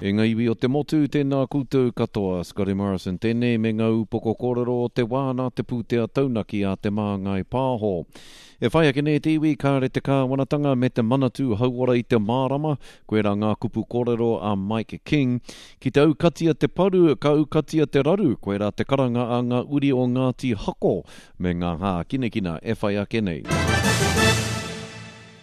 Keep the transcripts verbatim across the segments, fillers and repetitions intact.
E ngā iwi o te motu, tēnā koutou katoa, Scotty Morrison tēnei me ngā upoko kōrero o te wā nā te pūtea taunaki a Te Māngai Pāho. E whai ake nei te iwi, kāre te kāwanatanga me te Manatū Hauora i te mārama, koirā ngā kupu kōrero a Mike King. Ki te aukatia te paru, ka aukatia te raru, koirā te karanga a ngā uri o Ngāti Hako me ngā hākinakina e whai ake nei.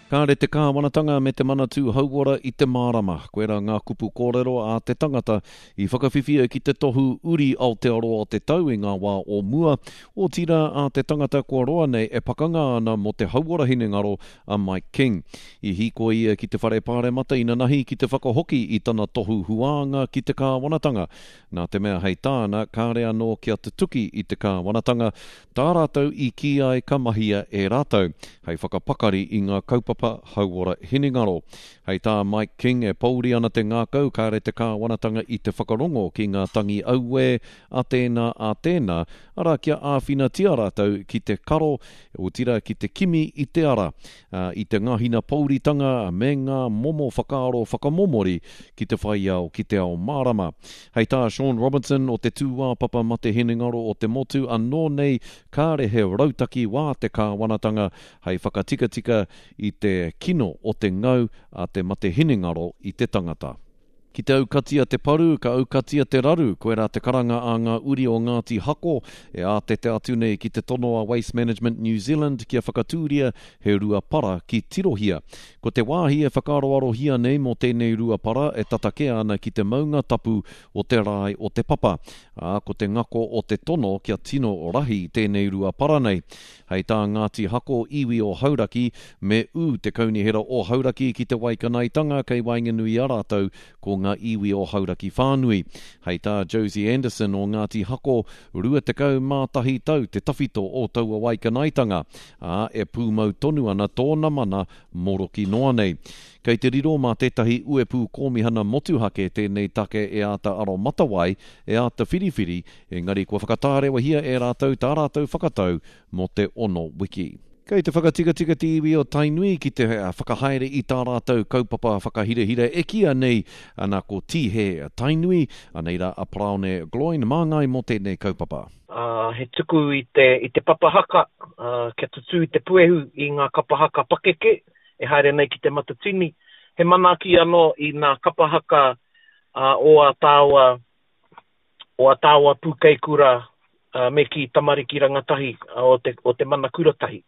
Kāre te kāwanatanga me te Manatū Hauora i te mārama, koirā ngā kupu kōrero a te tangata i whakawhiwhia ki te tohu Uri Aotearoa o te tau i ngā wā o mua, otirā a te tangata kua roa nei e pakanga ana mō te hauora hinengaro a Mike King. I hīkoi ia ki te whare pāremata inanahi ki te whakahoki i tana tohu huānga ki te kāwanatanga, nā te mea hei tāna kāre anō kia tutuki i te kāwanatanga tā rātou i kī ai ka mahia e rātou hei whakapakari i ngā kaupapa hauora hinengaro. Hei tā Mike King e pōuri ana te ngākau kāre te kāwanatanga i te whakarongo ki ngā tangi auē a tēnā a tēnā, arā kia āwhinatia rātou ki te karo, otirā ki te kimi i te ara, i te ngahina pōuritanga me ngā momo whakaaro whakamomori ki te whai ao ki te ao mārama. Hei tā Sean Robinson o te tūāpapa mate hinengaro o te motu anō nei kāre he rautaki wā te kāwanatanga hei whakatikatika i te kino o te ngau a te mate hinengaro i te tangata. Ki te aukatia te paru, ka aukatia te raru, koirā te karanga a ngā uri o Ngāti Hako e ātete atu nei ki te tono a Waste Management New Zealand kia whakatūria he rua para ki Tirohia. Ko te wāhi e whakaaroarohia nei mō tēnei rua para e tata kē ana ki te maunga tapu o te rae o Te Papa, ā, ko te ngako o te tono kia tino rahi tēnei rua para nei. Hei tā Ngāti Hako iwi o Hauraki, me ū te kaunihera o Hauraki ki te waikanaetanga kei waenganui i a rātou ko ngā iwi o Hauraki whānui. Hei tā Josie Anderson o Ngāti Hako, rua tekau mā tahi tau te tawhito o taua waikanaetanga, ā, e pūmau tonu ana tōna mana moroki noa nei. Kei te riro mā tētahi uepū kōmihana motuhake tēnei take e āta aromatawai, e āta whiriwhiri, engari kua whakatārewahia e rātou tā rātou whakatau mō te ono wiki. Kei te whakatikatika te iwi o Tainui ki te whakahaere i tā rātou kaupapa whakahirahira e kīia nei ana ko Tīhe Tainui, anei rā a Paraone Gloyne māngai mō tēnei kaupapa. Uh, he tuku i te, i te papa haka, uh, kia tutū te puehu i ngā kapa haka pakeke e haere nei ki te Matatini. He manaaki anō i ngā kapa haka uh, o a tāua, o a tāua pūkeikura uh, me ki tamariki rangatahi uh, o te, o te mana kuratahi.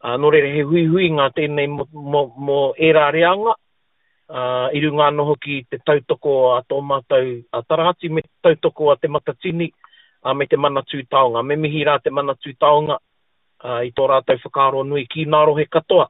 Uh, nō reira he huihuinga tēnei mō, mō, mō ērā reanga, uh, i runga anō hoki te tautoko a tō mātou a Tarahati me te tautoko a te Matatini uh, me te Manatū Taonga. Me mihi rā te Manatū Taonga uh, i tō rātou whakaaro nui ki ngā rohe katoa.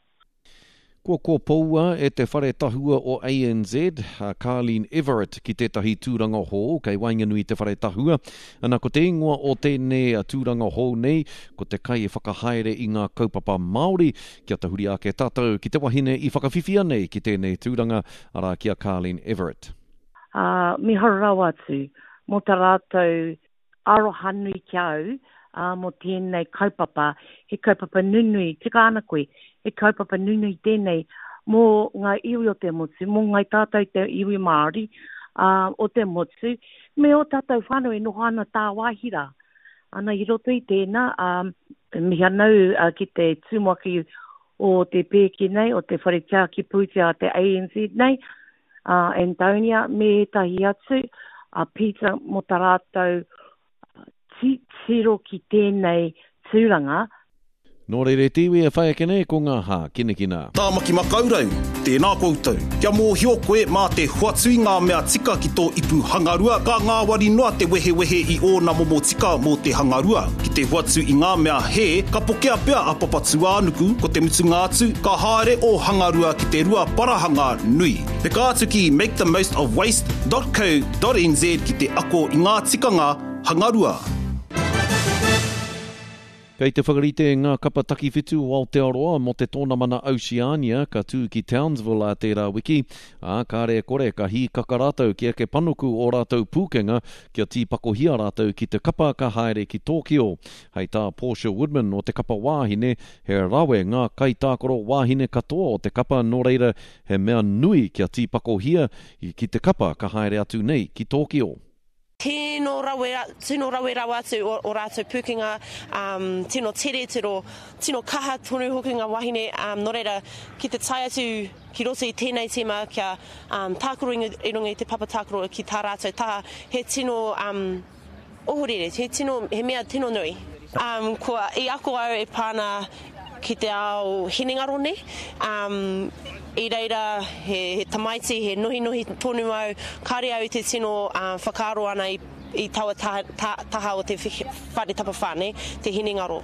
Kua kōpoua e te whare tahua o A N Z, a Carlene Everett ki tētahi tūranga hou kei waenganui te whare tahua. Ana ko te ingoa o tēnei tūranga hou nei, ko te kai e whakahaere i ngā kaupapa Māori, kia tahuri ake tātou ki te wahine i whakawhiwhia nei ki tēnei tūranga, arā ki a Carlene Everett. Uh, miharo rawa atu, mō tā rātou aroha nui ki au, uh, mō tēnei kaupapa, he kaupapa nunui, tika ana koe, he kaupapa nunui tēnei mō ngā iwi o te motu, mō ngai tātou te iwi Māori uh, o te motu, me o tātou whānau e noho ana tāwāhi rā. Ana i roto i tēnā, um, mihi anau uh, ki te tumuaki o te pēke nei, o te whare tiaki pūtea te A N Z nei, uh, Antonia, me ētahi atu, a uh, Peter mō tā rātou tiro ki tēnei tūranga. Nō reira te iwi e whai ake nei ko ngā hākinakina. Tāmaki Makaurau, tēnā koutou. Kia mōhio koe mā te hoatu i ngā mea tika ki tō ipu hangarua, ka ngāwari noa te wehewehe i ōna momo tika mō te hangarua. Ki te hoatu i ngā mea hē, ka pokea pea a Papatūānuku, ko te mutunga atu, ka haere o hangarua ki te rua parahanga nui. Peka atu ki make the most of waste dot co dot n z ki te ako i ngā tikanga hangarua. Kei te whakarite ngā kapa takiwhitu o Aotearoa mō te tōnamana Oceania ka tū ki Townsville a tērā wiki, ā, kāre e kore ka hīkaka rātou ki eke panuku o rātou pūkenga kia tīpakohia rātou ki te kapa ka haere ki Tōkio. Hei tā Portia Woodman o te kapa wāhine, he rawe ngā kaitākaro wāhine katoa o te kapa nō reira he mea nui kia tīpakohia ki te kapa ka haere atu nei ki Tōkio. Tino rawe, tino rawe rawa atu o, o rātou pūkenga, um, tino tere, tino, tino kaha tonu hoki ngā wahine, um, nō reira, ki te tae atu ki roto i tēnei tīma kia um, tākaro i runga i te papa tākaro ki tā rātou taha, he tino um, ohorere, he, tino, he mea tino nui. Um, kua, i ako au e pāna ki te ao hinengaro nei, um, i reira he, he tamaiti, he nohinohi tonu au, kāre au i te tino uh, whakaaro ana i, i taua taha, ta, taha o te whare tapawhā, ne, te hinengaro.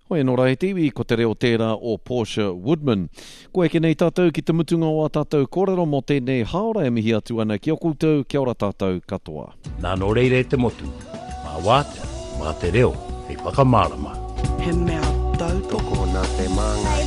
Hoi anō rā e te iwi, ko te reo tērā o Portia Woodman. Ko eke nei tātou ki te mutunga o a tātou kōrero mō tēnei haora e mihi atu ana ki a koutou, kia ora tātou katoa. Nā nō reira e te motu, mā wātea, mā te reo, hei whakamārama. He mea tautoko nā te māngai.